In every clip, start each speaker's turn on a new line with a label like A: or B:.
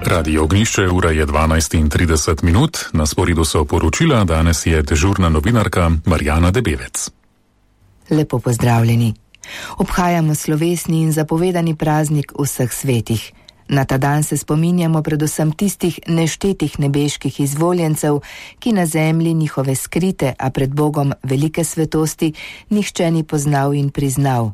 A: Radio Ognjišče, ura je 12:30, na sporedu so poročila, danes je dežurna novinarka Marjana Debevec.
B: Lepo pozdravljeni. Obhajamo slovesni in zapovedani praznik vseh svetih. Na ta dan se spominjamo predvsem tistih neštetih nebeških izvoljencev, ki na zemlji njihove skrite, a pred Bogom velike svetosti, nihče ni poznal in priznal.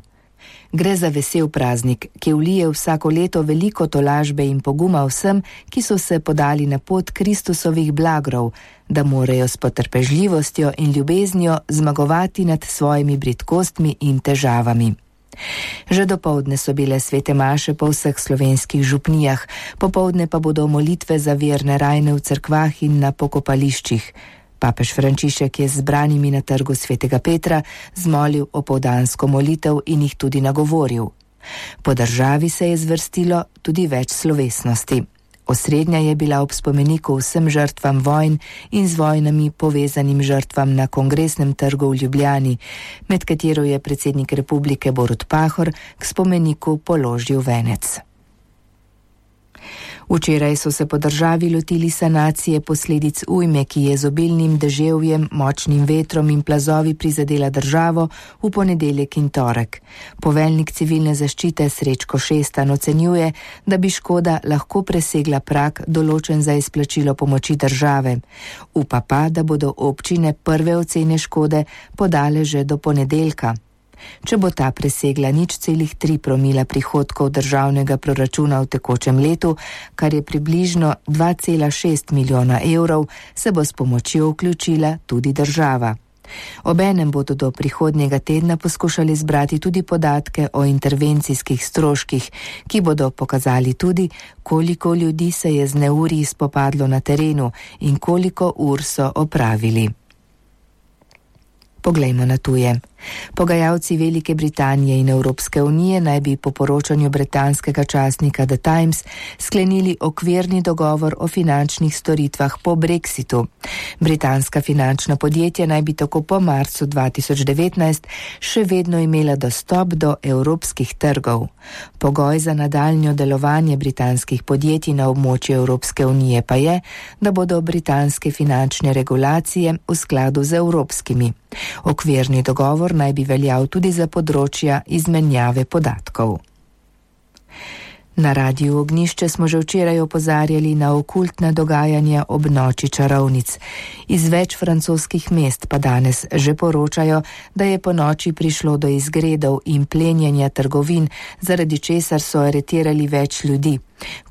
B: Gre za vesel praznik, ki vlije vsako leto veliko tolažbe in poguma vsem, ki so se podali na pot Kristusovih blagrov, da morajo s potrpežljivostjo in ljubeznijo zmagovati nad svojimi bridkostmi in težavami. Že dopoldne so bile svete maše po vseh slovenskih župnijah, popoldne pa bodo molitve za verne rajne v cerkvah in na pokopališčih. Papež Frančišek je z zbranimi na trgu svetega Petra zmolil opoldansko molitev in jih tudi nagovoril. Po državi se je zvrstilo tudi več slovesnosti. Osrednja je bila ob spomeniku vsem žrtvam vojn in z vojnami povezanim žrtvam na Kongresnem trgu v Ljubljani, med katero je predsednik republike Borut Pahor k spomeniku položil venec. Včeraj so se po državi lotili sanacije posledic ujme, ki je z obilnim deževjem, močnim vetrom in plazovi prizadela državo v ponedeljek in torek. Poveljnik civilne zaščite Srečko Šestan ocenjuje, da bi škoda lahko presegla prag določen za izplačilo pomoči države. Upa pa, da bodo občine prve ocene škode podale že do ponedeljka. Če bo ta presegla 0,3 promila prihodkov državnega proračuna v tekočem letu, kar je približno 2,6 milijona evrov, se bo s pomočjo vključila tudi država. Obenem bodo do prihodnjega tedna poskušali zbrati tudi podatke o intervencijskih stroških, ki bodo pokazali tudi, koliko ljudi se je z neurji spopadlo na terenu in koliko ur so opravili. Poglejmo na tuje. Pogajalci Velike Britanije in Evropske unije naj bi po poročanju britanskega časnika The Times sklenili okvirni dogovor o finančnih storitvah po Brexitu. Britanska finančna podjetja naj bi tako po marcu 2019 še vedno imela dostop do evropskih trgov. Pogoj za nadaljnjo delovanje britanskih podjetij na območju Evropske unije pa je, da bodo britanske finančne regulacije v skladu z evropskimi. Okvirni dogovor naj bi veljal tudi za področja izmenjave podatkov. Na Radiu Ognjišče smo že včeraj opozarjali na okultna dogajanja ob noči čarovnic. Iz več francoskih mest pa danes že poročajo, da je po noči prišlo do izgredov in plenjenja trgovin, zaradi česar so aretirali več ljudi.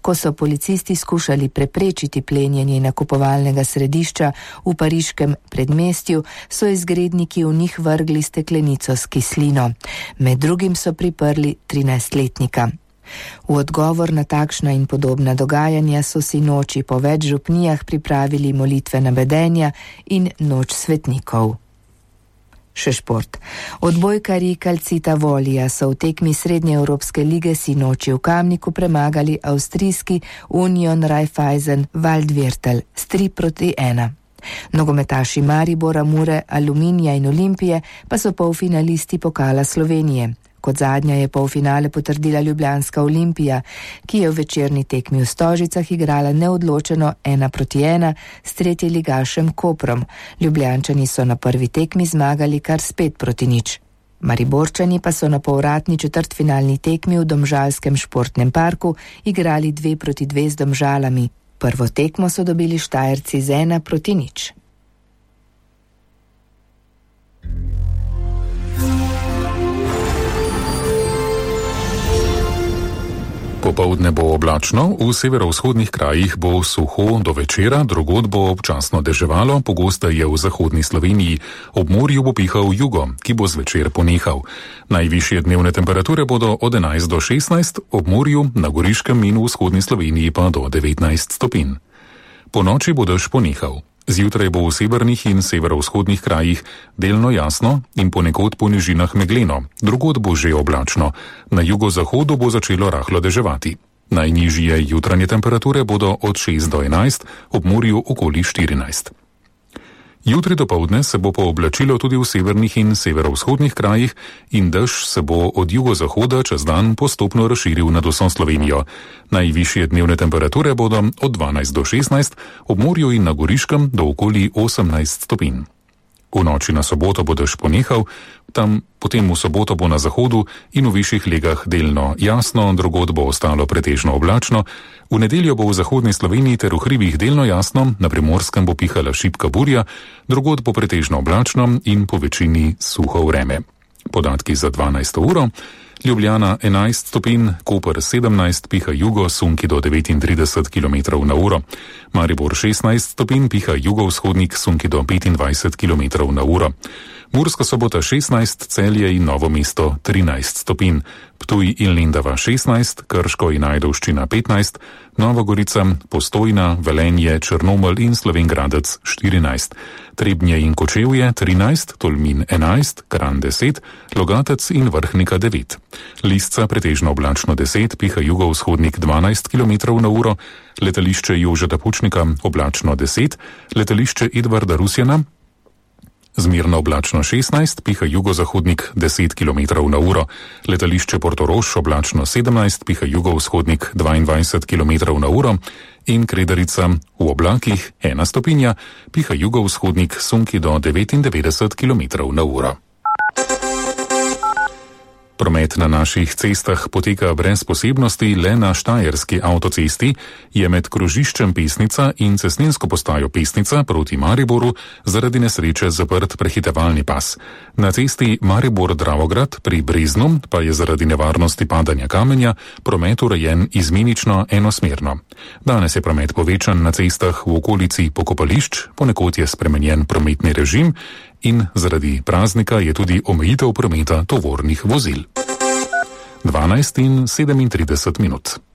B: Ko so policisti skušali preprečiti plenjenje nakupovalnega središča v pariškem predmestju, so izgredniki v njih vrgli steklenico s kislino. Med drugim so priprli 13-letnika. V odgovor na takšna in podobna dogajanja so si noči po več župnijah pripravili molitvena bedenja in noč svetnikov. Še šport. Odbojkarji Calcita Volija so v tekmi Srednjeevropske lige sinoči v Kamniku premagali avstrijski Union Raiffeisen Waldviertel s 3:1. Nogometaši Maribora, Mure, Aluminija in Olimpije pa so polfinalisti pokala Slovenije. Kot zadnja je polfinale potrdila ljubljanska Olimpija, ki je v večerni tekmi v Stožicah igrala neodločeno 1:1 s tretjeligašem Koprom. Ljubljančani so na prvi tekmi zmagali kar s 5:0. Mariborčani pa so na povratni četrtfinalni tekmi v domžalskem športnem parku igrali 2:2 z Domžalami. Prvo tekmo so dobili Štajerci z 1:0.
A: Popoldne bo oblačno, v severovzhodnih krajih bo suho do večera, drugod bo občasno deževalo, pogosteje v zahodni Sloveniji. Ob morju bo pihal jugo, ki bo zvečer ponehal. Najvišje dnevne temperature bodo od 11 do 16, ob morju, na Goriškem in v vzhodni Sloveniji pa do 19 stopinj. Po noči bo dež ponehal. Zjutraj bo v severnih in severovzhodnih krajih delno jasno in ponekod po nižinah megleno, drugod bo že oblačno. Na jugozahodu bo začelo rahlo deževati. Najnižje jutranje temperature bodo od 6 do 11, ob morju okoli 14. Jutri dopoldne se bo pooblačilo tudi v severnih in severovzhodnih krajih in dež se bo od jugozahoda čez dan postopno razširil nad vso Slovenijo. Najvišje dnevne temperature bodo od 12 do 16, ob morju in na Goriškem do okoli 18 stopinj. V noči na soboto bo dež ponehal, potem v soboto bo na zahodu in v višjih legah delno jasno, drugod bo ostalo pretežno oblačno. V nedeljo bo v zahodni Sloveniji ter v hribih delno jasno, na Primorskem bo pihala šibka burja, drugod bo pretežno oblačno in po večini suho vreme. Podatki za 12. uro. Ljubljana 11 stopinj, Koper 17, piha jugo, sunki do 39 km na uro. Maribor 16 stopinj, piha jugovzhodnik, sunki do 25 km na uro. Murska Sobota 16, Celje in Novo mesto 13 stopinj. Ptuj in Lendava 16, Krško in Ajdovščina 15, Nova Gorica, Postojna, Velenje, Črnomelj in Slovenj Gradec 14. Trebnje in Kočevje 13, Tolmin 11, Kranj 10, Logatec in Vrhnika 9. Lisca pretežno oblačno 10, piha jugovzhodnik 12 km na uro, letališče Jožeta Pučnika oblačno 10, letališče Edvarda Rusjana zmerno oblačno 16, piha jugozahodnik 10 km na uro, letališče Portorož oblačno 17, piha jugovzhodnik 22 km na uro in Kredarica v oblakih 1 stopinja, piha jugovzhodnik, sunki do 99 km na uro. Promet na naših cestah poteka brez posebnosti, le na Štajerski avtocesti je med krožiščem Pesnica in cestninsko postajo Pesnica proti Mariboru zaradi nesreče zaprt prehitevalni pas. Na cesti Maribor-Dravograd pri Breznu pa je zaradi nevarnosti padanja kamenja promet urejen izmenično enosmerno. Danes je promet povečan na cestah v okolici pokopališč, ponekod je spremenjen prometni režim in zaradi praznika je tudi omejitev prometa tovornih vozil. 12:37.